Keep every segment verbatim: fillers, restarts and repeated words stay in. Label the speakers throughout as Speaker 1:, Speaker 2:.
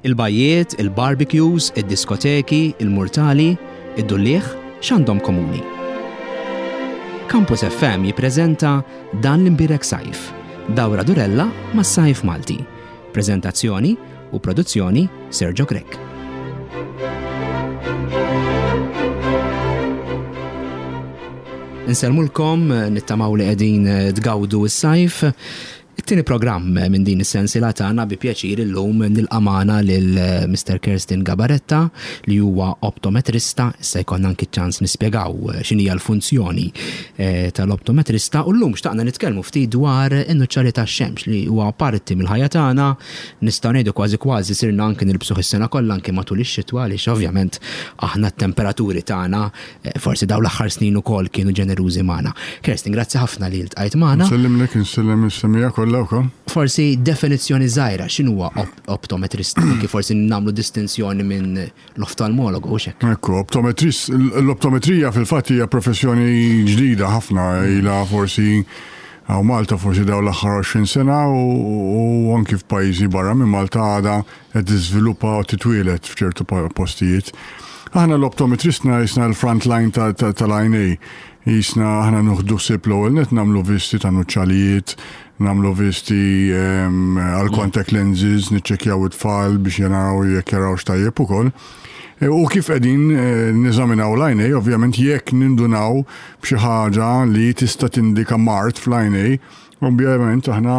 Speaker 1: Il-bajjiet, il-barbecues, id-diskoteki, il-murtali, id-dulliegħ, x'għandhom komuni? Campus F M jippreżenta Dan l-Imbierek Sajf, dawra durella mas-sajf Malti. Prezentazzjoni u produzzjoni, Sergio Grech. Insellmulkom, nittamaw li qegħdin tgawdu s-sajf. It-tieni programm minn din is-sensiela tagħna, bi pjaċir illum nilqa' magħna lil Mister Kerstin Gabaretta, li huwa optometrista. Issa jkollna anki ċans nispjegaw x'inhija l-funzjoni eh, tal-optometrista, u llum xtaqna nitkellmu ftit dwar in-nuċċali tax-xemx, li huwa parti mill-ħajja tagħna, nistgħu ngħidu kważi kważi sirna anki nilbsuh is-sena kollha, anki matul ix-xitwa, għaliex ovvjament aħna t-temperaturi tagħna eh, forsi dawn l-aħħar snin ukoll kienu ġenerużi magħna. Kerstin, grazzi ħafna li ltqajt magħna.
Speaker 2: Nsellimlek, insellem is-semmiegħa kollha wkoll.
Speaker 1: Forsi definizzjoni żgħira, x'inhuwa op optometrista, kif forsi nagħmlu distinzjoni minn l-oftalmologu u hekk?
Speaker 2: Ekku, optometrist, l-optometrija fil-fatt hija professjoni ġdida ħafna, ilha forsi hawn Malta forsi dawn l-aħħar għoxrin sena u, u anki f'pajjiżi barra minn Malta għadha qed tiżviluppa u titwielet f'ċertu postijiet. Aħna l-optometristna jisna l-front line tal-għajnejn. Jisna aħna nieħdu ħsieb, l-ewwel net nagħmlu visti ta' nuċċalijiet, nagħmlu visti għal contact lenses, niċċekkjaw it-tfal biex jaraw jekk jarawx tajjeb ukoll. E, u kif qegħdin eh, neżaminaw l-għajnejn, ovvjament jekk nindunaw b'xi ħaġa li tista' tindika mard fl-għajnejn, ovvjament aħna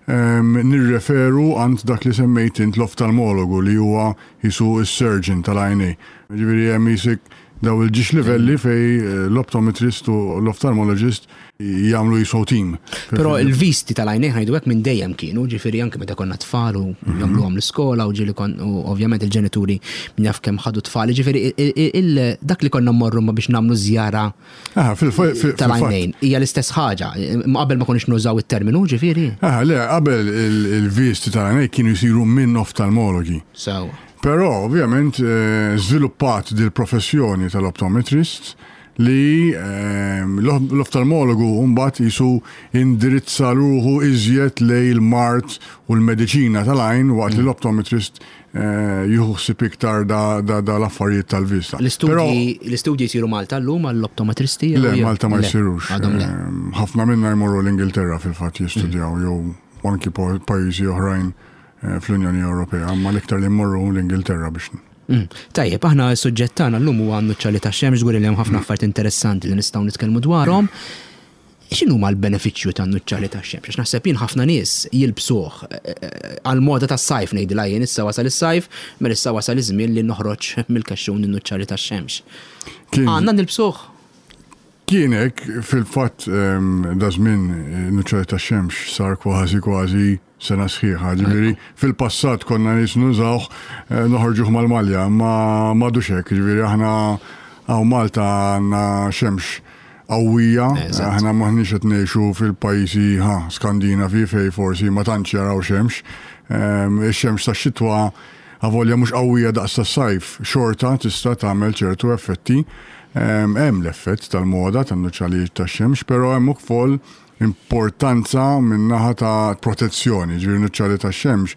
Speaker 2: nirreferu għand dak li semmejt int, l-oftalmologu, li huwa jisu s-surgeon tal-għajnejn. Ġifieri hemm jisek daw il-ġiex livelli fej eh, l-optometrist u l-ophthalmologist jagħmlu jisu team.
Speaker 1: Però il-visti tal-għajnejn, ngħidu hekk, minn dejjem kienu, ġifieri anke meta konna tfal u mhm. jagħmluhom l-iskola u ġieli kon u ovvjament il-ġenituri min jaf kemm ħadu tfal, ġifieri dak li konna mmorru ma biex nagħmlu żjara tal-għajnejn hija l-istess ħaġa. Qabel ma konniex nużaw it-terminu, ġifieri.
Speaker 2: Ah, le, qabel il-visti tal-għajnejn kienu jsiru minn oftalmologi.
Speaker 1: So.
Speaker 2: Però, ovvjament, eh, żviluppat dil-professjoni tal-optometrist li eh, l-oftalmologu mbagħad jisu indirizza ruħu iżjed lejn il-mard u l-mediċina tal-għajn, waqt li mm. l-optometrist eh, jieħu ħsieb iktar da, da, da l-affarijiet tal-vista.
Speaker 1: L-istudji jsiru Malta llum għall-optometristi?
Speaker 2: Le, Malta ma jsirux. Ħafna minna jmorru l-Ingilterra fil-fatt jistudjaw, jew anki pajjiżi oħrajn Eh, fl-Unjoni Ewropea, ma l-iktar li mmorru l-Ingilterra biex.
Speaker 1: Mm. Tajjeb, aħna s-suġġett tagħna llum huwa nuċċali ta' xemx, żgur li hemm ħafna affarijiet interessanti li nistgħu nitkellmu dwarhom. X'inhuma l-benefiċċju ta' nuċċali ta' xemx? Għax naħseb jien ħafna nies jilbsuh eh, eh, għal-moda tas-sajf, ngħidilha jien, issa wasal is-sajf, mela issa wasal iż-żmien li noħroġ mill-kexxun in-nuċċali tax-xemx. Għandna nilbsuh?
Speaker 2: Kienek fil-fatt da żmien nuċċali tax-xemx sar kważi kważi sena sħiħa. Ġifieri fil-passat konna nies nużawh, eh, noħorġuh mal-malja, ma m'għadux hekk, ġifieri aħna hawn Malta għandna xemx qawwija, aħna maħniex qed ngħixu fil-pajjiżi ha Skandinavi fej forsi ma tantx jaraw xemx. Ix-xemx tax-xitwa, avolja mhux qawwija daqs tas-sajf, xorta tista' tagħmel ċertu effetti. Hemm l-effett tal-moda tan-nuċċalijiet tax-xemx, però hemm ukoll importanza min-naħa ta' protezzjoni, ġifieri nuċċali tax-xemx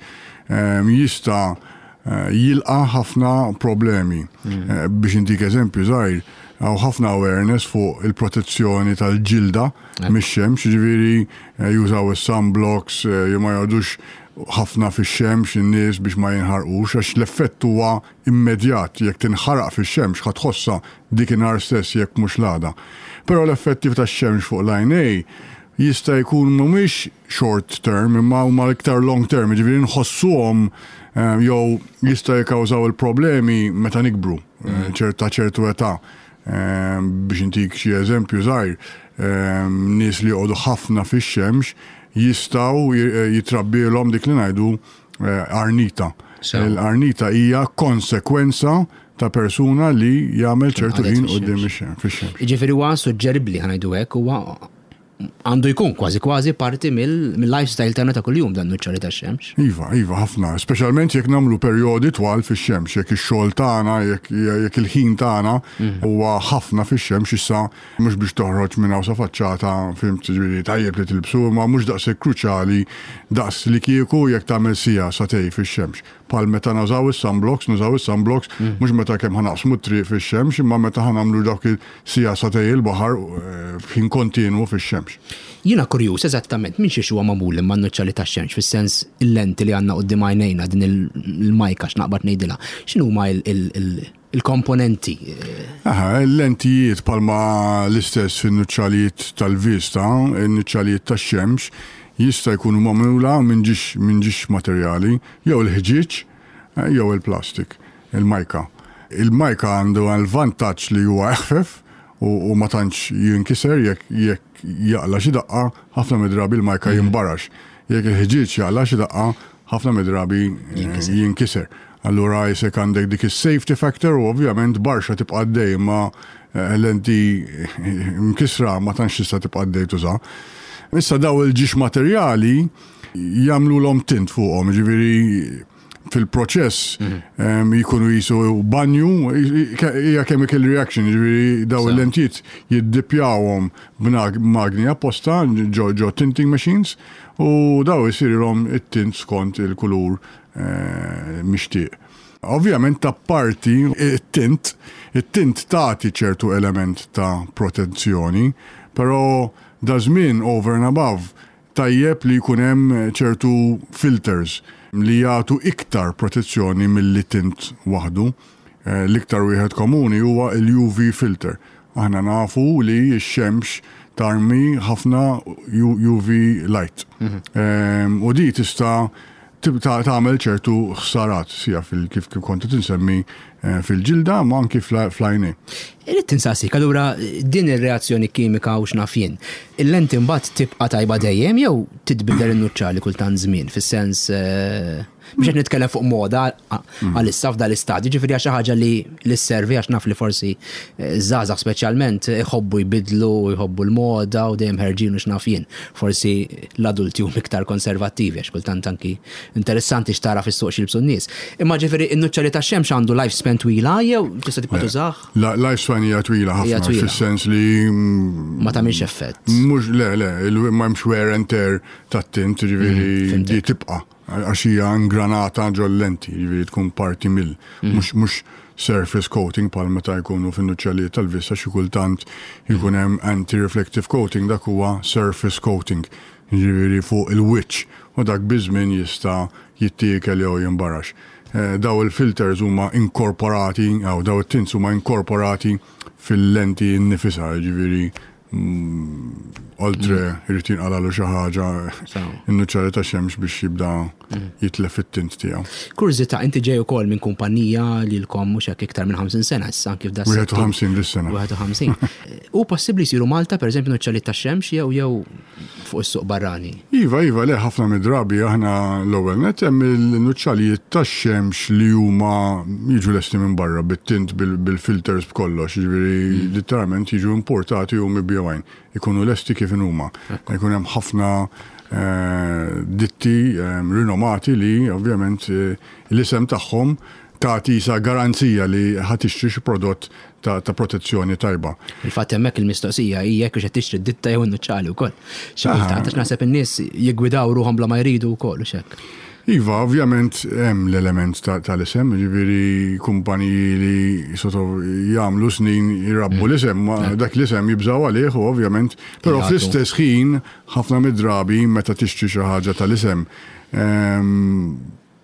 Speaker 2: jista' eh, jilqa' ħafna problemi. Mm. Eh, biex intik eżempju żgħir, hawn ħafna awareness fuq il-protezzjoni tal-ġilda mix-xemx, ġifieri eh, jużaw is-sunblocks, jew ma jgħodux ħafna fix-xemx in-nies biex ma jinħarqux, għax l-effett huwa immedjat: jekk tinħaraq fix-xemx ħa tħossha dik inhar stess, jekk mhux l-għada. Però l-effetti tax-xemx fuq l-għajnej jista' jkun mhumiex short term imma huma iktar long term, ġifieri nħossuhom eh, jew jista' jikkawżaw il-problemi meta nikbru, eh, mm. ċerta ċertu età. Eh, biex intik xi eżempju żgħir, nies li joqogħdu ħafna fix-xemx jistgħu jitrabbilhom dik li ngħidu arnita. L-arnita hija konsekwenza ta' persuna li jagħmel ċertu ħin quddiem fix-xemx.
Speaker 1: Ġifieri huwa suġġeribbli, ħa ngħidu hekk, huwa Għandu jkun kważi kważi parti mill-lifestyle tagħna ta' kuljum dan nuċċali tax-xemx.
Speaker 2: Iva, iva, ħafna, speċjalment jekk nagħmlu perjodi twal fix-xemx, jekk ix-xogħol tagħna, jekk jekk il-ħin tagħna huwa ħafna fix-xemx. Issa mhux biex toħroġ minn hawn sa faċċata, fhimt, ġifieri tajjeb li tilbsu, ma mhux daqshekk kruċjali daqs li kieku jekk tagħmel siegħa sagħtejn fix-xemx. Bħal meta nużaw is-sunblocks, nużaw is-sunblocks mhux meta kemm ħa naqsmu t-triq fix-xemx, imma meta ħa nagħmlu dawk il-siegħa sagħtejn il-baħar eh, f'ħin kontinwu fix-xemx.
Speaker 1: Jiena kurjuż eżattament minn xiex huwa magħmul imma n-nuċċali tax-xemx, fis-sens il-lenti li għandna quddiem għajnejna, din il-majka x'naqbad ngħidilha. X'inhuma il-komponenti?
Speaker 2: Aha, il-lentijiet bħalma l-istess fin-nuċċalijiet tal-vista, il-nuċċalijiet tax-xemx jista' jkunu magħmula minn ġiex minn ġiex materjali, jew il-ħġieġ eh, jew il-plastik, il-majka. Il-majka għandu għal-vantaġġ li huwa eħfef u, u ma tantx jinkiser. jekk jekk jaqla xi daqqa, ħafna mid-drabi il-majka jimbarax. Jekk il-ħġieġ jaqla xi daqqa, ħafna mid-drabi eh, jinkiser. Allura jisek għandek dik is-safety factor u ovvjament barxa tibqa' għaddej, ma eh, lenti mkisra ma tantx tista' tibqa' għaddej tuża. Issa daw il-ġiex materjali jagħmlu tint fuqhom, ġifieri fil-proċess em, jikunu jisu banju, hija chemical reaction, ġifieri daw
Speaker 1: Sa.
Speaker 2: il-lentijiet jiddipjawhom b'magni apposta ġo ġo tinting machines u daw jisirilhom it-tint skont il-kulur eh, mixtieq. Ovvjament ta' parti it-tint, it-tint tagħti ċertu element ta' protezzjoni, però da żmien over and above tajjeb li jkun hemm ċertu filters li jagħtu iktar protezzjoni milli tint waħdu. Eh, L-iktar wieħed komuni huwa il-U V filter. Aħna nafu li x-xemx tarmi ħafna U V light. Em, U di tista' tibta tagħmel ċertu ħsarat sija fil kif kif kont tinsemmi eh, fil-ġilda ma anki fl-għajnejn.
Speaker 1: Irrid insaqsik, allura din ir-reazzjoni kimika u x'naf jien, il-lenti mbagħad tibqa' tajba dejjem jew titbidel in-nuċċali kultant żmien, fis-sens eh, biex qed nitkellem fuq moda għalissa f'dal istadju, ġifieri għax xi ħaġa li li sservi, għax naf li forsi eh, żgħażagħ speċjalment iħobbu jbidlu, jħobbu l-moda u dejjem ħerġin u x'naf jien. Forsi l-adulti huma iktar konservattivi, għax kultant anki interessanti x'tara fis-suq x'jilbsu n-nies. Imma ġifieri in-nuċċali tax-xemx għandu lifespan twila jew tista' tibqa' tużah?
Speaker 2: La- Lifespan hija twila
Speaker 1: Hija
Speaker 2: ħafna
Speaker 1: twila.
Speaker 2: fis-sens li mm,
Speaker 1: Ma tagħmilx effett.
Speaker 2: Mhux, le, le, il- ma hemmx wear and tear tat-tint, ġifieri
Speaker 1: fhimtek.
Speaker 2: di tibqa' għax hija ingranata ġol lenti, ġifieri tkun parti mill. Mhux mhux surface coating bħal meta jkunu fin-nuċċalijiet tal-vista, xi kultant jkun hemm anti-reflective coating, dak huwa surface coating, ġifieri fuq il-wiċċ, u dak biż-żmien jista' jittiekel jew jimbarax. Eh, Daw il-filters huma inkorporati, jew daw it-tints huma inkorporati fil-lenti nnifisha, ġifieri mm, oltre irid jinqalalu xi ħaġa
Speaker 1: Sew.
Speaker 2: in-nuċċali ta' xemx biex jibda jitlef it-tint tiegħu.
Speaker 1: Kurżità, inti ġej ukoll minn kumpanija li lkom mhux hekk iktar minn ħamsin sena issa kif da
Speaker 2: wieħed u ħamsin dis-sena.
Speaker 1: wieħed u ħamsin. U possibbli jsiru Malta, pereżempju, nuċċali tax-xemx jew jew fuq is-suq barrani?
Speaker 2: Iva, iva, le, ħafna mid-drabi aħna l-ewwel net hemm il-nuċċalijiet tax-xemx li huma jiġu lesti minn barra bit-tint, bil- bil-filters, b'kollox, jiġifieri literalment jiġu importati u mibjugħin. Ikunu lesti kif huma. Ikun hemm ħafna eh, ditti eh, rinomati li ovvjament eh, l-isem tagħhom tagħti sa garanzija li ħa tixtri xi prodott ta', ta' protezzjoni tajba.
Speaker 1: Il-fatt hemmhekk il-mistoqsija hija jekk qed tixtri d-ditta jew in-nuċċali wkoll. Xi kultant għax naħseb in-nies jiggwidaw ruħhom bla ma jridu wkoll u x'hekk.
Speaker 2: Iva, ovvjament hemm l-element ta- tal-isem, ġifieri kumpaniji li sort of jagħmlu snin jirabbu l-isem, ma dak l-isem jibżaw għalih u ovvjament, però
Speaker 1: Jagħtu.
Speaker 2: fl-istess ħin ħafna mid-drabi meta tixtri xi ħaġa tal-isem, ehm,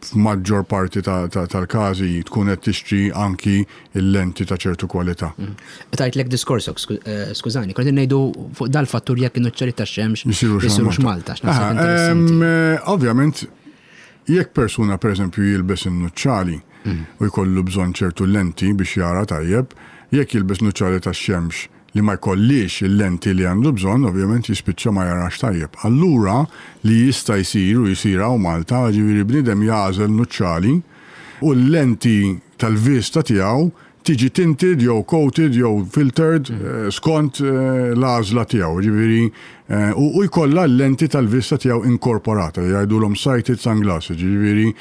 Speaker 2: f'maġġor parti ta- ta- tal-każi tkun qed tixtri anki il-lenti ta' ċertu kwalità.
Speaker 1: Tajtlek diskorsok, sku- eh, skużani, kont ngħidu fuq dal-fattur jekk in-nuċċali tax-xemx
Speaker 2: Jisirux
Speaker 1: jisirux Malta, x'naħseb
Speaker 2: Aha,
Speaker 1: interessanti.
Speaker 2: em, eh, Ovvjament, jekk persuna per eżempju jilbes in-nuċċali u jkollu bżonn ċertu lenti biex jara tajjeb, jekk jilbes nuċċali tax-xemx li ma jkollix il-lenti li għandu bżonn, ovvjament jispiċċa ma jarax tajjeb. Allura li jista' jsir u jsir hawn Malta, ġifieri bniedem jagħżel nuċċali u l-lenti tal-vista tiegħu Tiġi tinted jew coated jew filtered eh, skont eh, l-għażla tiegħu, ġifieri eh, u u jkollha l-lenti tal-vista tiegħu inkorporata, jgħidulhom sighted sunglasses, ġifieri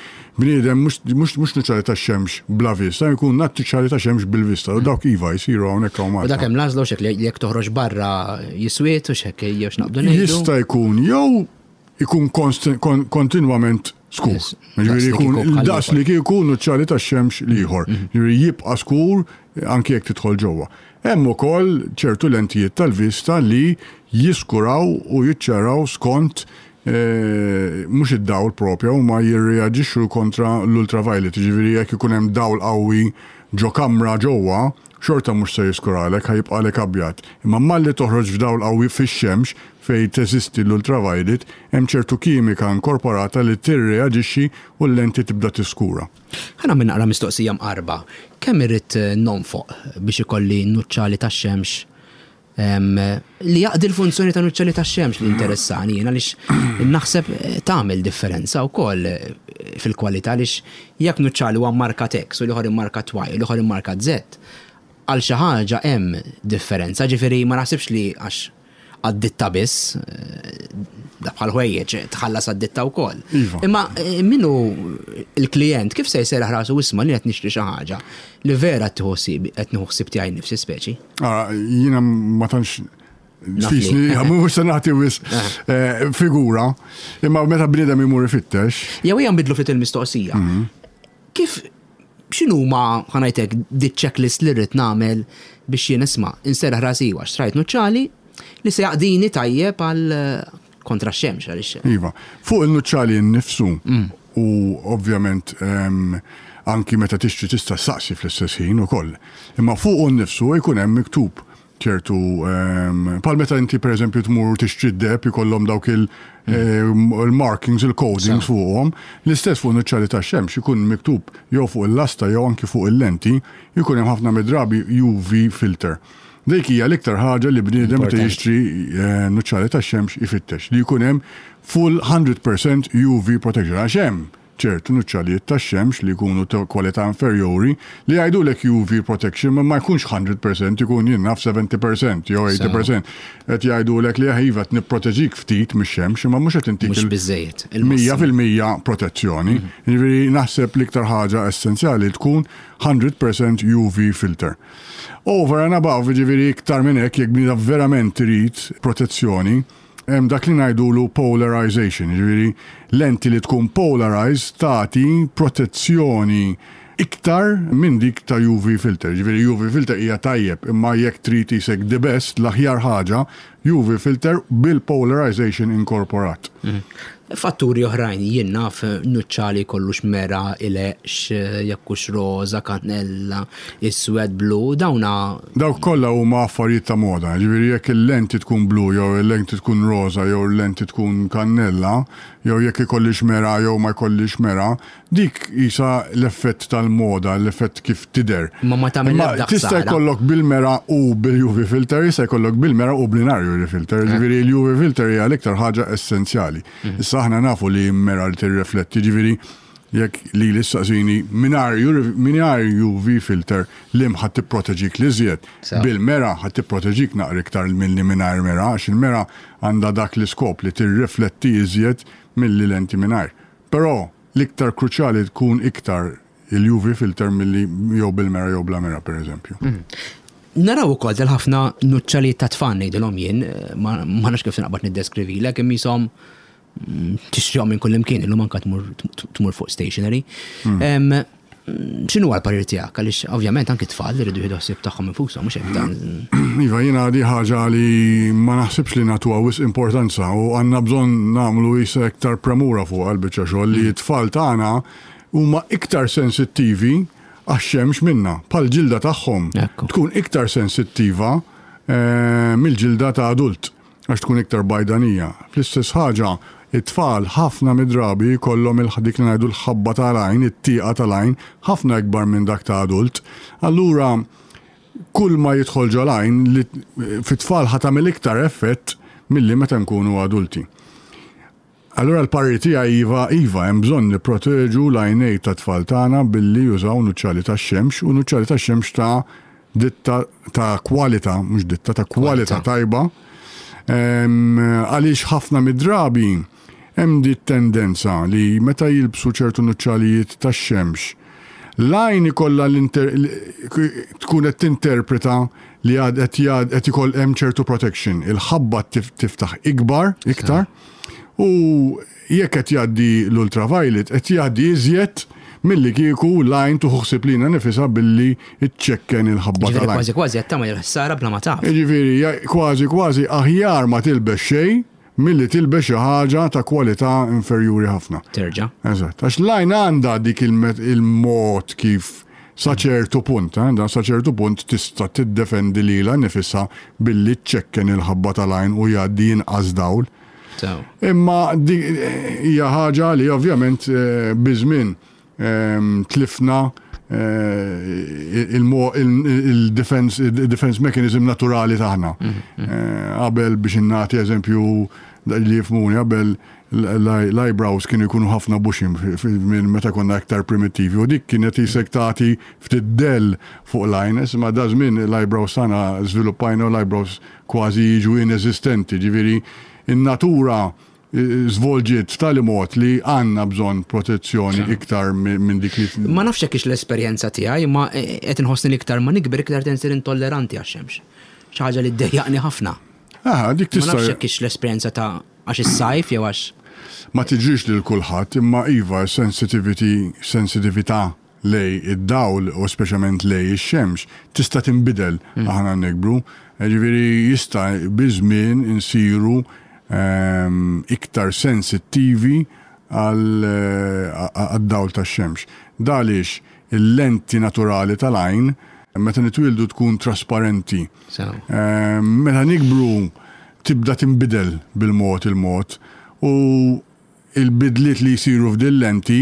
Speaker 2: bniedem mhux mhux mhux nuċċali tax-xemx bla vista, jkun nuċċali ta' xemx bil-vista, u dawk iva jsiru hawnhekk hawn
Speaker 1: U
Speaker 2: Malta.
Speaker 1: dak hemm l-għażla u xek li jekk toħroġ barra jiswiet u xek jew x'naqbdu ngħidu.
Speaker 2: Jista' jkun jew ikun konst- kon- kontinwament skur.
Speaker 1: Yes.
Speaker 2: Ġifieri
Speaker 1: Daqs li
Speaker 2: jkun
Speaker 1: kieku bħal
Speaker 2: daqs
Speaker 1: ieħor.
Speaker 2: li kieku nuċċali tax-xemx l-ieħor. Ġifieri jibqa' skur anke jekk tidħol ġewwa. Hemm ukoll ċertu lentijiet tal-vista li jiskuraw u jiċċaraw skont eh, mhux id-dawl propja huma jirreaġixxu kontra l-ultraviolet, ġifieri jekk ikun hemm dawl qawwi ġo kamra ġewwa, xorta mhux se jiskuralek, ħa jibqalek abjad. Imma malli toħroġ f'dawl qawwi fix-xemx fej teżisti l-ultraviolet, hemm ċertu kimika inkorporata li tirreaġixxi u l-lenti tibda tiskura.
Speaker 1: Ħa nagħmel naqra mistoqsija mqarba. Kemm irrid eh, nonfoq biex ikolli nuċċali tax-xemx em, li jaqdi l-funzjoni ta' nuċċali tax-xemx li interessani jien għaliex naħseb eh, tagħmel differenza wkoll eh, fil-kwalità għaliex jekk nuċċali huwa markat X u l-ieħor immarkat Y u l-ieħor immarkat Z, għal xi ħaġa hemm differenza, ġifieri ma naħsibx li għax għad-ditta biss, eh, da bħal ħwejjeġ tħallas għad-ditta wkoll.
Speaker 2: Iva.
Speaker 1: Imma eh, minnu il-klient kif se jserraħ rasu isma' li qed nixtri xi ħaġa li vera qed tieħu ħsieb qed nieħu ħsieb tiegħi nnifsi speċi.
Speaker 2: Ara, jiena ma tantx
Speaker 1: Naf li.
Speaker 2: Fisni, mhux se nagħti wisq eh, figura, imma meta bniedem imur ifittex,
Speaker 1: Jew hija nbidlu ftit il-mistoqsija. Kif x'inhuma ħa ngħidlek di checklist li rrid nagħmel biex jien isma' inserraħ rasi għax xtrajt nuċċali li se jaqdini tajjeb għal eh, kontra x-xemx għaliex.
Speaker 2: Iva, fuq il-nuċċali nnifsu u ovvjament em, anki meta tixtri tista' saqsi fl-istess ħin ukoll. Imma fuq nnifsu jkun hemm miktub ċertu em, bħal meta inti pereżempju tmur tixtri d-deheb ikollhom dawk il- em, il-markings, il-codings fuqhom, l-istess fuq nuċċali tax-xemx ikun miktub jew fuq il-lasta jew anki fuq il-lenti, jkun hemm ħafna mid-drabi U V filter. Dik hija l-iktar ħaġa li bniedem meta
Speaker 1: Importanti.
Speaker 2: jixtri eh, nuċċali tax-xemx ifittex li jkun hemm full one hundred percent U V protection. Għax hemm ċertu nuċċalijiet tax-xemx li jkunu ta' kwalità inferjori li jgħidulek U V protection ma ma jkunx mija fil-mija, ikun jien naf sebgħin fil-mija jew tmenin fil-mija. Qed jgħidulek li iva qed nipproteġik ftit mix-xemx imma mhux qed intik
Speaker 1: Mhux
Speaker 2: il-
Speaker 1: biżejjed.
Speaker 2: Mija fil-mija protezzjoni. Ġifieri naħseb l-iktar ħaġa essenzjali tkun mija fil-mija U V filter. Over and above, ġifieri iktar minn hekk, jekk bniedem verament trid protezzjoni, hemm dak li ngħidulu polarization, ġifieri lenti li tkun polarized tagħti protezzjoni iktar minn dik ta' U V filter. Ġifieri U V filter hija tajjeb, imma jekk trid isek the best, l-aħjar ħaġa, U V filter bil-polarization inkorporat.
Speaker 1: Fatturi oħrajn, jien naf nuċċali kollux mera, ileqx, jekkux roza, kannella, iswed, blu, dawna?
Speaker 2: Dawk kollha huma affarijiet ta' moda, ġifieri jekk il-lenti tkun blu jew il-lenti tkun roza jew il-lenti tkun kannella, jew jekk ikollix mera jew ma jkollix mera, dik isa l-effett tal-moda, l-effett kif tidher.
Speaker 1: Ma ma tagħmel
Speaker 2: Imma
Speaker 1: l-ebda
Speaker 2: tista'
Speaker 1: ħsara.
Speaker 2: jkollok bil-mera u bil-U V filter, jista' jkollok bil-mera u bl-mingħajr U V filter. Ġifieri l-U V filter hija l-iktar ħaġa essenzjali. Issa aħna nafu li mera li tirrifletti, ġifieri jekk li l-istaqsini mingħajr U V filter li ħa tipproteġik l-iżjed.
Speaker 1: Sew.
Speaker 2: Bil-mera ħa tipproteġik naqra iktar milli mingħajr mera, għax il-mera għandha dak l-iskop li tirrifletti iżjed milli lenti mingħajr. Però l-iktar kruċjali tkun iktar il-U V filter milli jew bil-mera jew bla mera, per eżempju.
Speaker 1: Naraw ukoll del ħafna nuċċali ta' tfal ngħidilhom jien, ma ma nafx kif naqbad niddeskrivilek, imma jisom mm, tixtrihom minn kull imkien, illum anka tmur tmur fuq stationery. Em, X'inhu l-parir tiegħek? Għaliex ovvjament anki tfal iridu jieħdu ħsieb tagħhom infushom, mhux hekk dan.
Speaker 2: Iva, jiena di ħaġa li ma naħsibx li nagħtuha wisq importanza u għandna bżonn nagħmlu jisa iktar premura fuq għal-biċċa xogħol li t-tfal tagħna huma iktar sensittivi għax-xemx minna. Pal ġilda tagħhom
Speaker 1: Ekku.
Speaker 2: tkun iktar sensittiva eh, mill-ġilda ta' adult għax tkun iktar bajdanija. Fl-istess ħaġa, it-tfal ħafna mid-drabi jkollhom il-dik li ngħidu l-ħabba tal-għajn, it-tieqa tal-għajn, ħafna ikbar minn dak ta' adult. Allura, kull ma jidħol ġol-għajn li fit-tfal ħa tagħmel iktar effett milli meta nkunu adulti. Allura l-parir tiegħi iva, iva, hemm bżonn nipproteġu l-għajnej tat-tfal tagħna billi jużaw nuċċali tax-xemx u nuċċali tax-xemx ta' ditta ta' kwalità, mhux ditta, ta' kwalità tajba. Għaliex ħafna mid-drabi hemm di tendenza li meta jilbsu ċertu nuċċalijiet tax-xemx, l-għajn ikollha tkun qed tinterpreta li għad qed ikoll hemm ċertu protection. Il-ħabba tiftaħ ikbar, iktar, u jekk qed jgħaddi l-ultraviolet qed jgħaddi iżjed milli kieku l-għajn tieħu ħsieb lilha nifisha billi iċċekken il-ħabba tal-għajn.
Speaker 1: Kważi kważi qed tagħmel ħsara bla ma taf.
Speaker 2: Jiġifieri kważi kważi aħjar ma tilbes xejn milli tilbes xi ħaġa ta' kwalità inferjuri ħafna.
Speaker 1: Terġa'.
Speaker 2: Eżatt. Għax l-għajn għandha dik il-mod kif sa ċertu punt, eh, da sa ċertu punt tista' tiddefendi lilha nifisha billi ċċekken il-ħabba tal-għajn u jgħaddi inqas dawl. Imma hija ħaġa li ovvjament eh, biż-żmien ehm, tlifna eh, il-defense mechanism naturali tagħna. Mhm, mhm. Qabel, biex nagħti eżempju li jifhmuni, qabel l-eyebrows kienu jkunu ħafna bushy minn meta konna aktar primitivi u dik kienet jisek tagħti ftit del fuq l-għajn, ma da żmien l-eyebrows tagħna żviluppajna u l-eyebrows kważi jiġu inesistenti, ġifieri in-natura żvolġiet tali mod li għandna bżonn protezzjoni iktar minn dik li.
Speaker 1: Ma nafx hekk l-esperjenza tiegħi, ma qed inħossni iktar ma nikber iktar tinsir intolleranti għax-xemx. Xi ħaġa li ddejjaqni ħafna.
Speaker 2: Ah, dik
Speaker 1: tista'. Ma nafx hekk l-esperjenza ta' għax is-sajf jew għax.
Speaker 2: Ma tiġrix lil kulħadd, imma iva, sensitivity, sensitività lejn id-dawl u speċjalment lejn ix-xemx tista' tinbidel mm. aħna nikbru. Ġifieri jista' biż-żmien insiru ehm, iktar sensittivi għad-dawl tax-xemx. Għaliex il-lenti naturali tal-għajn meta nitwildu tkun trasparenti. Ehm, meta nikbru tibda tinbidel bil-mod il-mod u il-bidliet li jisiru f'dil lenti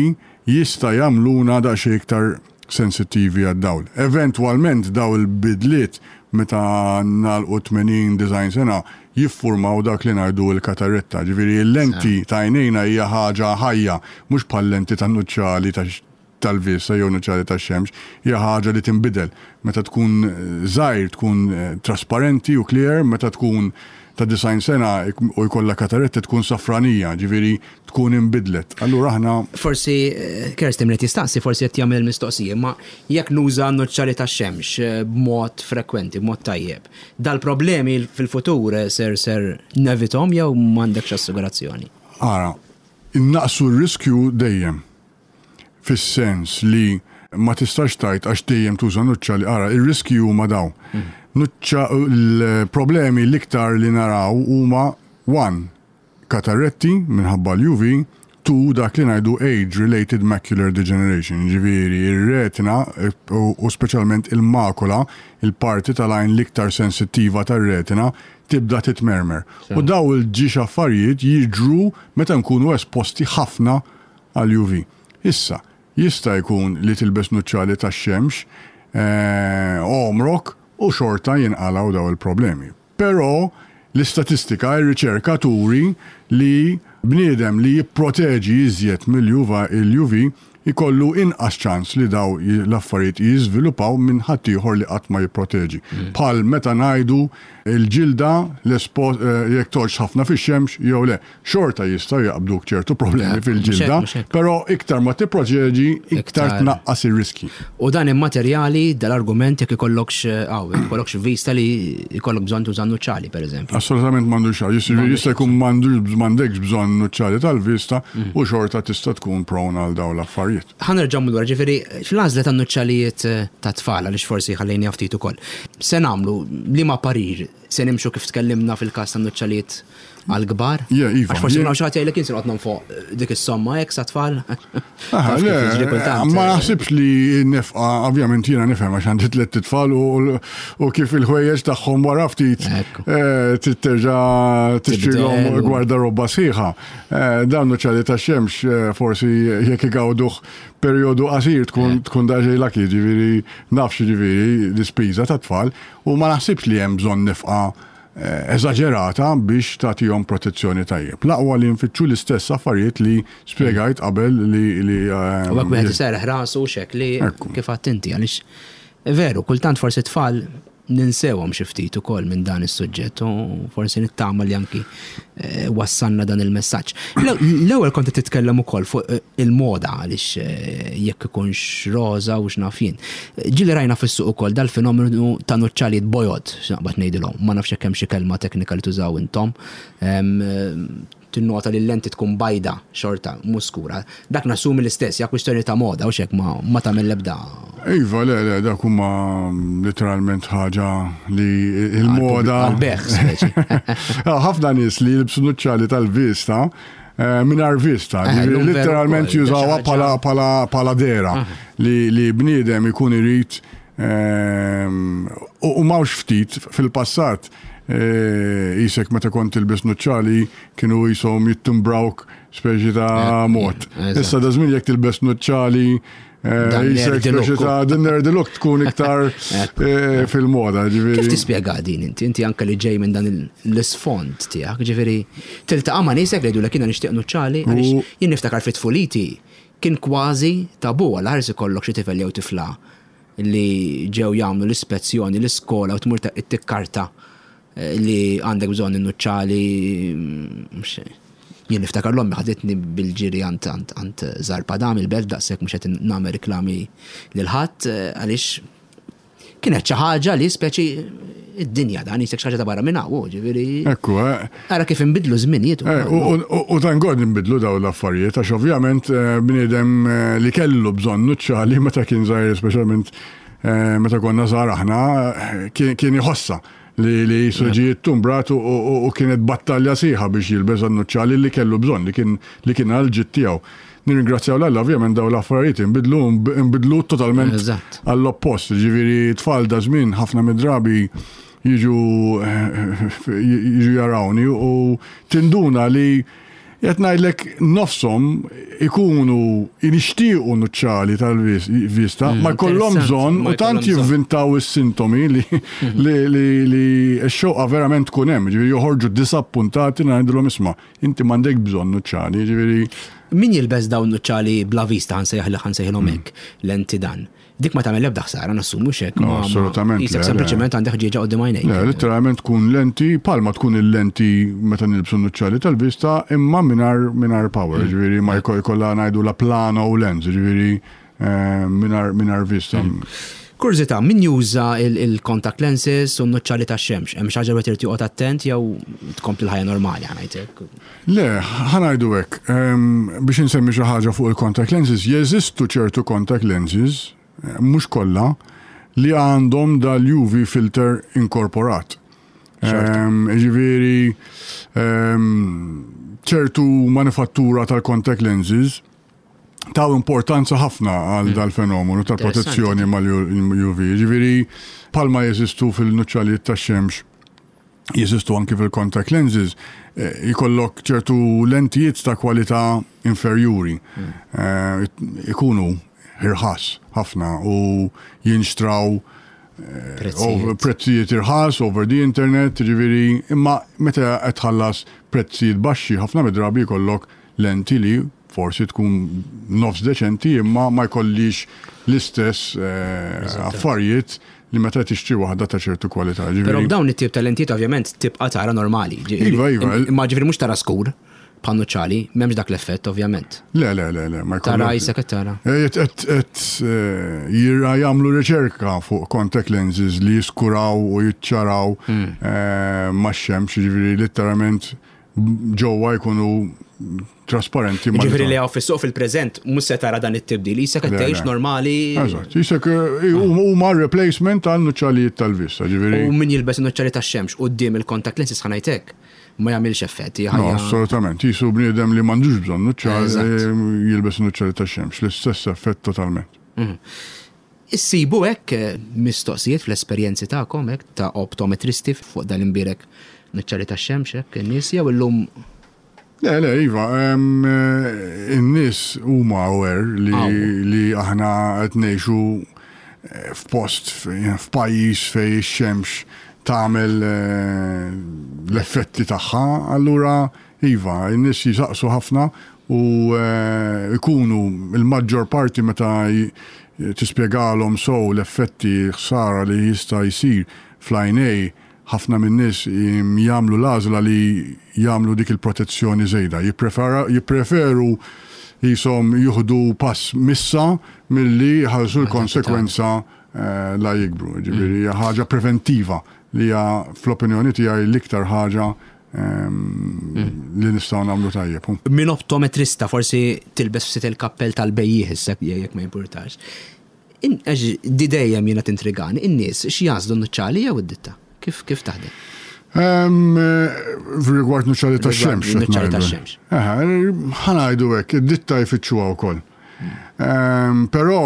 Speaker 2: jista' jagħmluna daqsxejn iktar sensittivi għad-dawl. Eventwalment daw il-bidliet meta nagħlqu tmenin disgħin sena jiffurmaw dak li ngħidu l-kataretta. Ġifieri l-lenti ta' għajnejna hija ħaġa ħajja, mhux bħal lenti tan-nuċċali tal-vista jew nuċċali tax-xemx, hija ħaġa li tinbidel. Meta tkun żgħir tkun eh, trasparenti u clear, meta tkun ta' disgħin sena u jkollha kataretta tkun safranija, ġifieri tkun inbidlet. Allura aħna
Speaker 1: Forsi eh, Kerstin li tistaqsi forsi qed jagħmel mistoqsija, ma jekk nuża nuċċali tax-xemx eh, b'mod frekwenti, b'mod tajjeb, dal-problemi fil-futur eh, ser ser nevitahom jew m'għandekx assigurazzjoni?
Speaker 2: Ara, innaqsu r-riskju dejjem. Fis-sens li ma tistax tgħid għax dejjem tuża nuċċali, ara, ir-riskju huma daw. Nuċċa l-problemi l-iktar li naraw huma one, katarretti minħabba l-U V, two, dak li ngħidu age-related macular degeneration, ġifieri ir-retina u u speċjalment il-makula, il-parti tal-għajn l-iktar sensittiva tar-retina, tibda titmermer. U daw iż-żewġ affarijiet jiġru meta nkunu esposti ħafna għal-U V. Issa, jista' jkun li tilbes nuċċali tax-xemx eh, għomrok u xorta jinqalaw daw il-problemi. Però l-istatistika, ir-riċerka turi li bniedem li jipproteġi iżjed mill-U V il-U V ikollu inqas ċans li daw l-affarijiet jiżviluppaw minn ħaddieħor li qatt ma jipproteġi. Bħal meta ngħidu il-ġilda l-espo- eh, jekk toqgħodx ħafna fix-xemx jew le, xorta jistgħu jaqbduk ċertu problemi
Speaker 1: Eh,
Speaker 2: fil-ġilda,
Speaker 1: mhux hekk, mhux hekk.
Speaker 2: però iktar ma tipproteġi, iktar
Speaker 1: Iktar.
Speaker 2: tnaqqas ir-riski.
Speaker 1: U dan immaterjali dal-argument jekk ikollokx għaw, jekk ikollokx vista li ikollok bżonn tuża nuċċali, per eżempju.
Speaker 2: Assolutament m'għandux xejn. Jista' jista' jkun m'għandux m'għandekx bżonn nuċċali tal-vista u xorta tista' tkun prone għal dawn l-affarijiet.
Speaker 1: Ħa nerġgħu lura, ġifieri, fl-għażla ta' nuċċalijiet ta' tfal, għaliex forsi ħallejni ftit ukoll. Se nagħmlu liema parir, se nimxu kif tkellimna fil-każ ta' nuċċalijiet għal-kbar?
Speaker 2: Yeah, iva.
Speaker 1: Għax forsi
Speaker 2: Jien-
Speaker 1: ma xi ħadd jgħidlek jien se noqgħod nonfoq dik is-somma hekk sa tfal.
Speaker 2: Aha,
Speaker 1: Taf kif
Speaker 2: le,
Speaker 1: jiġri kultant.
Speaker 2: ma naħsibx li nefqa, ovvjament jiena nifhem għax għandi tliet tfal u, u kif il-ħwejjeġ tagħhom wara ftit
Speaker 1: Ekku.
Speaker 2: eh, trid terġa' tixtrilhom
Speaker 1: Tibdel u-
Speaker 2: gwardarobba sħiħa. Eh, Dawn nuċċali tax-xemx eh, forsi jekk igawduh perjodu qasir tkun tkun daqsxejn lucky, ġifieri nafx ġifieri l-ispiża ta' tfal u ma naħsibx li hemm bżonn nefqa eh, eżaġerata biex tagħtihom protezzjoni tajjeb. L-aqwa li nfittxu l-istess affarijiet li spjegajt qabel li li
Speaker 1: U hekk wieħed iserraħ rasu xek li
Speaker 2: Ekku.
Speaker 1: kif għedt inti, għaliex veru, kultant forsi tfal ninsewhom xi ftit ukoll minn dan is-suġġett u forsi nittama li anki eh, wassalna dan il-messaġġ. L-ewwel kont qed titkellem ukoll fuq eh, il-moda għaliex eh, jekk ikunx roża u x'naf jien. Ġieli rajna fis-suq ukoll dal-fenomenu ta' nuċċalijiet bojod, x'naqbad ngħidilhom, ma nafx hekk hemm xi kelma teknika li tużaw intom. Em, Tinnota li l-lenti tkun bajda xorta, mhux skura. Dak nassumi l-istess, ja kwistjoni ta' moda u xek ma, ma tagħmel l-ebda.
Speaker 2: Iva, le, le, dak huma literalment ħaġa li il-moda.
Speaker 1: Għal-bejgħ, speċi.
Speaker 2: Ħafna nies li jilbsu nuċċali tal-vista eh, mingħajr vista,
Speaker 1: Eh,
Speaker 2: ġifieri
Speaker 1: llum veru
Speaker 2: literalment
Speaker 1: ukoll,
Speaker 2: jużawha
Speaker 1: xi ħaġa-
Speaker 2: pala, pala, pala dera li, li bniedem ikun irid ehm, u u mhux ftit fil-passat eh, jisek meta kont tilbes nuċċali kienu jisom jittimbrawk speċi ta'
Speaker 1: Eh,
Speaker 2: mod.
Speaker 1: eżatt.
Speaker 2: Issa da żmien jekk tilbes nuċċali eh,
Speaker 1: Dan
Speaker 2: jisek
Speaker 1: nerdy
Speaker 2: speċi
Speaker 1: look.
Speaker 2: ta' din nerdy look tkun iktar eh, fil-moda.
Speaker 1: Kif
Speaker 2: Ġifieri.
Speaker 1: tispjega din inti? Inti anke li ġej minn dan il- l-isfond tiegħek, ġifieri tiltaqa' ma' niesek li jgħidulek jiena nixtieq nuċċali għaliex jien niftakar fit tfuliti kien kważi tabu għal ħares ikollok xi tifel jew tifla li ġew jagħmlu l-ispezzjoni l-iskola u tmur tikkarta eh, li għandek bżonn in-nuċċali mm, mhux- jien niftakar l-ommi ħaditni bil-ġiri għand għand għand Zarpadam il-belt, daqshekk mhux qed nagħmel reklami lil ħadd eh, għaliex kienet xi ħaġa li speċi id-dinja dan jisek xi ħaġa ta' barra minn hawn, ġifieri.
Speaker 2: Ekku, eh.
Speaker 1: Ara kif inbidlu żminijiet
Speaker 2: Eh,
Speaker 1: ukoll.
Speaker 2: U u- u thank God nbidlu daw l-affarijiet, għax ovvjament eh, bniedem eh, li kellu bżonn nuċċali meta kien żgħir, speċjalment eh, meta konna żgħar aħna, eh, kien kien iħossa li li ġie ttumbrat u- u u kienet battalja sħiħa biex jilbes nuċċali li kellu bżonn, li kien li kien għal-ġid tiegħu. Nirringrazzjaw l-Alla, ovvjament daw l-affarijiet inbidlu inbidlu totalment
Speaker 1: Eżatt.
Speaker 2: għall-oppost, ġifieri tfal da żmien ħafna mid-drabi jiġu jiġu jarawni u tinduna li qed ngħidlek nofshom ikunu jixtiequ nuċċali tal-vista, ma jkollhom
Speaker 1: interessant,
Speaker 2: bżonn
Speaker 1: ma
Speaker 2: u tant
Speaker 1: jkollhom bżonn.
Speaker 2: jivvintaw is-sintomi li li li li x-xewqa verament tkun hemm, ġifieri joħorġu disappuntati ngħidulhom isma' inti m'għandek bżonn nuċċali, ġifieri
Speaker 1: Min jilbes dawn nuċċali bla vista ħansejħ li ħansejħilhom hekk lenti dan. Dik ma tagħmel ebda ħsara nassumu xek.
Speaker 2: No,
Speaker 1: ma- ma-
Speaker 2: assolutament,
Speaker 1: Jisek
Speaker 2: le, le.
Speaker 1: sempliċement għandek ħġieġa quddiem għajnejk.
Speaker 2: Le, literalment tkun lenti, palma tkun il-lenti meta nilbsu nuċċali tal-vista, imma mingħajr mingħajr power, ġifieri ma jkoll jkollha ngħidu la plano lens, ġifieri eh, mingħajr mingħajr vista.
Speaker 1: Kurżità, min juża il-contact lenses u n-nuċċali tax-xemx? Hemm xi ħaġa li trid joqgħod attent jew tkompli l-ħajja normali ħa ngħidlek.
Speaker 2: Le, ħa ngħidu hekk, em, biex insemmi xi ħaġa fuq il-contact lenses, jeżistu ċertu contact lenses, eh, mhux kollha, li għandhom dal-U V filter inkorporat. Em, Ġifieri, em, ċertu manifattura tal-contact lenses taw importanza ħafna għal dal-fenomenu tal-protezzjoni mal-U V. Ġifieri, palma jeżistu fil-nuċċalijiet tax-xemx, jeżistu anki fil-contact lenses, eh, jkollok ċertu lentijiet ta' kwalità inferjuri. Eh, Ikunu irħas ħafna u jinxtraw eh,
Speaker 1: Prezzijiet.
Speaker 2: over- prezzijiet irħas over the internet, ġifieri, imma meta qed tħallas prezzijiet baxxi ħafna mid-drabi jkollok lenti li forsi tkun nofs deċenti imma ma jkollix l-istess eh, affarijiet li meta tixtri waħda ta' ċertu kwalità.
Speaker 1: Però
Speaker 2: Ġifieri,
Speaker 1: b'dawn it-tip ta' lentijiet ovvjament tibqa' tara normali. Ġifieri-
Speaker 2: Iva, iva.
Speaker 1: Imma ġifieri mhux tara skur bħan-nuċċali, m'hemmx dak l-effett ovvjament.
Speaker 2: Le, le, le, le, ma
Speaker 1: Tara
Speaker 2: jkollok.
Speaker 1: jisek qed tara.
Speaker 2: Et, et, et, eh, jira jagħmlu riċerka fuq contact lenses li jiskuraw u jiċċaraw
Speaker 1: Hmm.
Speaker 2: eh, max-xemx, ġifieri literalment ġewwa jkunu trasparenti. ma'
Speaker 1: Ġifieri li hawn fis-suq fil-preżent mhux se tara dan it-tibdil, jisek qed
Speaker 2: Le,
Speaker 1: tgħix
Speaker 2: le.
Speaker 1: normali.
Speaker 2: Eżatt, jisek eh, huma replacement għal nuċċalijiet tal-vista, ġifieri.
Speaker 1: U min jilbes nuċċali tax-xemx quddiem il-contact lenses ħa ngħidlek ma jagħmilx effett. hija
Speaker 2: No,
Speaker 1: ħajja-
Speaker 2: assolutament. Jisu bniedem li m'għandux bżonn nuċċal
Speaker 1: Eżatt.
Speaker 2: eh, jilbes nuċċali tax-xemx, l-istess effett totalment.
Speaker 1: Issibu hekk eh, mistoqsijiet fl-esperjenzi tagħkom hekk ta' optometristi fuq dal-imbierek nuċċali tax-xemx hekk in-nies jew illum
Speaker 2: Le, le, iva, em, eh, in-nies huma aware li,
Speaker 1: Aw.
Speaker 2: li aħna qed ngħixu eh, f'post, f- f'pajjiż fej ix-xemx tagħmel eh, l-effetti tagħha, allura iva, n-nies jisaqsu ħafna u eh, ikunu il-maġġor parti meta tispjegalhom sew l-effetti ħsara li jista' jsir fl-għajnej, ħafna min-nies jagħmlu l-għażla li jagħmlu dik il-protezzjoni żejda. Jippreferu jisom juhdu pass missa milli jħallsu l-konsekwenza eh, la jikbru. Ġifieri hija ħaġa preventiva li hija fl-opinjoni tiegħi l-iktar ħaġa ehm, li nistgħu nagħmlu tajjeb.
Speaker 1: Min optometrista forsi tilbes ftit il-kappell tal-bejjiegħ issa jekk ma jimpurtax. Di dejjem jiena tintrigani, in-nies x'jagħżlu, nuċċali jew id-ditta? Kif kif taħdem?
Speaker 2: Rigward nuċċali ta' xemx.
Speaker 1: Nuċċali ta' xemx.
Speaker 2: Ħa ngħidu hekk, id-ditta jfittxuha wkoll. Però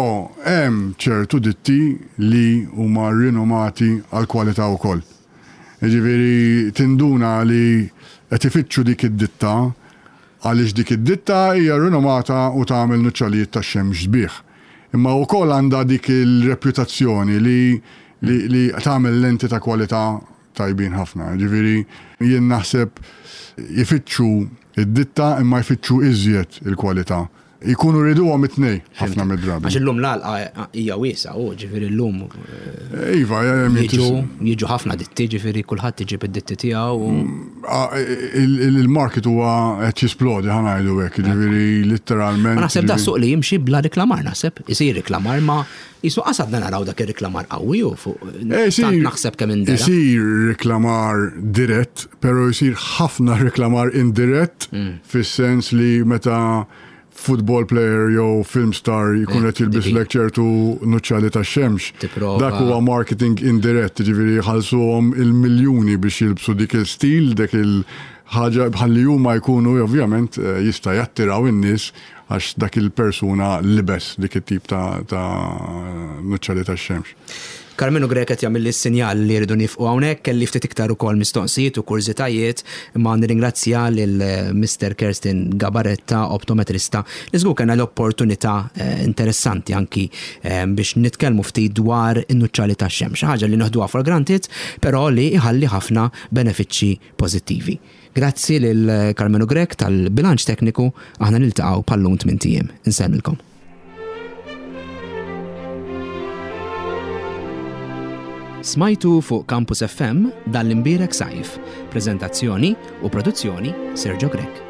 Speaker 2: hemm ċertu ditti li huma rinomati għal kwalità wkoll. Ġifieri tinduna li qed ifittxu dik id-ditta għaliex dik id-ditta hija rinomata u tagħmel nuċċalijiet tax-xemx sbieħ. Imma wkoll għandha dik il-reputazzjoni li li, li tagħmel lenti ta' kwalità tajbin ħafna. Ġifieri jien naħseb jfittxu id-ditta imma jfittxu iżjed il-kwalità. Ikunu riduhom it-tnej ħafna mid-drabi.
Speaker 1: Għax illum l-għalqa hija wiesgħa, u ġifieri llum
Speaker 2: Iva,
Speaker 1: jiġu jiġu ħafna ditti, ġifieri kulħadd iġib id-ditti tiegħu.
Speaker 2: Il-market huwa qed jisplodi, ħa ngħidu hekk, ġifieri litteralment.
Speaker 1: Naħseb da suq li jimxi bla reklamar, naħseb, isir reklamar ma jisu qasadna naraw dak ir-reklamar qawwi u fuq tant naħseb kemm indera.
Speaker 2: Isir reklamar dirett, però jsir ħafna reklamar indirett fis-sens li meta football player jew film star jkun qed jilbislek ċertu nuċċali tax-xemx. Dak huwa marketing indirett, ġifieri jħallsuhom il-miljuni biex jilbsu dik il-stil, dik il-ħaġa bħalli huma jkunu ovvjament jista' jattiraw in-nies għax dak il-persuna libes dik it-tip ta' nuċċali tax-xemx.
Speaker 1: Karmenu Grech qed jagħmel is-sinjal li rridu nifqu hawnhekk, kelli ftit iktar ukoll mistoqsijiet u kurżitajiet, imma nirringrazzja lil Mister Kerstin Gabaretta, optometrista, li żgur kellna l-opportunità interessanti anki biex nitkellmu ftit dwar in-nuċċali tax-xemx, ħaġa li noħduha for granted, però li iħalli ħafna benefiċċji pożittivi. Grazzi lil Karmenu Grech tal-bilanċ tekniku, aħna niltaqgħu bħal-lum tmien ijiem. Insellmilkom. Smajtu fuq Campus F M dan l-imbierek sajf. Prezentazzjoni u produzzjoni Sergio Grech.